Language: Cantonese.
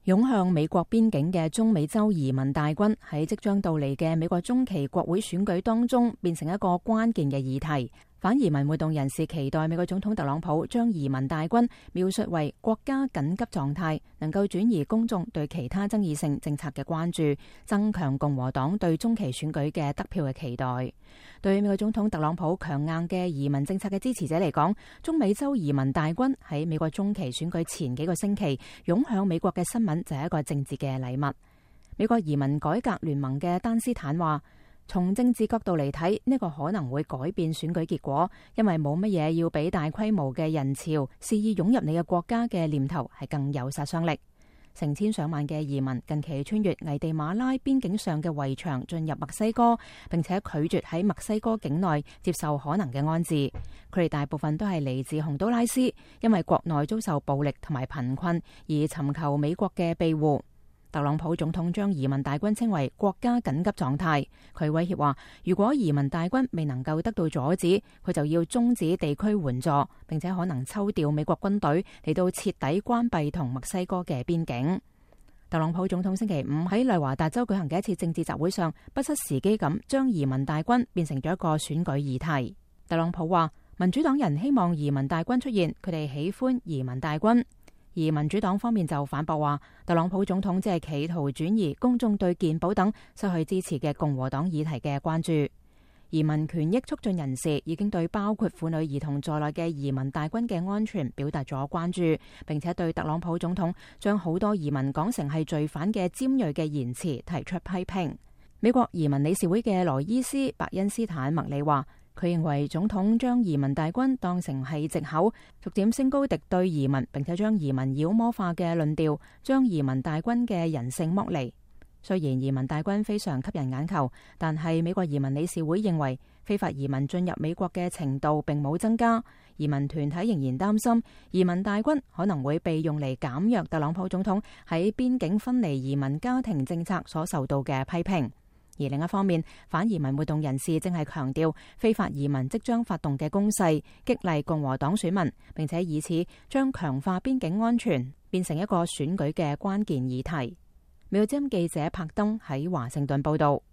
湧向美國邊境嘅中美洲移民大軍喺即將到嚟嘅美國中期國會選舉當中變成一個關鍵嘅議題。反移民活動人士期待美國總統特朗普將移民大軍描述為國家緊急狀態，能夠轉移公眾對其他爭議性政策嘅關注，增強共和黨對中期選舉嘅得票嘅期待。對美國總統特朗普強硬嘅移民政策嘅支持者嚟講，中美洲移民大軍喺美國中期選舉前幾個星期湧向美國嘅新聞就係一個政治嘅禮物。美國移民改革聯盟嘅丹斯坦話，從政治角度嚟睇，呢個可能會改變選舉結果，因為冇乜嘢要比大規模嘅人潮肆意湧入你嘅國家嘅念頭係更有殺傷力。成千上萬嘅移民近期穿越危地馬拉邊境上嘅圍牆進入墨西哥，並且拒絕喺墨西哥境內接受可能嘅安置。佢哋大部分都係嚟自洪都拉斯，因為國內遭受暴力同埋貧困而尋求美國嘅庇護。特朗普總統將移民大軍稱為國家緊急狀態，佢威脅話，如果移民大軍未能夠得到阻止，佢就要終止地區援助，並且可能抽調美國軍隊嚟到徹底關閉同墨西哥嘅邊境。特朗普總統星期五喺內華達州舉行嘅一次政治集會上，不失時機咁將移民大軍變成咗一個選舉議題。特朗普話，民主黨人希望移民大軍出現，佢哋喜歡移民大軍。而民主黨方面就反駁話，特朗普總統只係企圖轉移公眾對健保等失去支持嘅共和黨議題嘅關注。移民權益促進人士已經對包括婦女兒童在內嘅移民大軍嘅安全表達咗關注，並且對特朗普總統將好多移民講成係罪犯嘅尖鋭嘅言辭提出批評。美國移民理事會嘅羅伊斯·白恩斯坦麥里話，佢認為總統將移民大軍當成係藉口，逐漸升高敵對移民，並且將移民妖魔化嘅論調，將移民大軍嘅人性剝離。雖然移民大軍非常吸引眼球，但係美國移民理事會認為非法移民進入美國嘅程度並冇增加。移民團體仍然擔心移民大軍可能會被用嚟減弱特朗普總統喺邊境分離移民家庭政策所受到嘅批評。而另一方面，反移民活動人士正係強調非法移民即將發動嘅攻勢，激勵共和黨選民，並且以此將強化邊境安全變成一個選舉嘅關鍵議題。美國之音記者柏登喺華盛頓報道。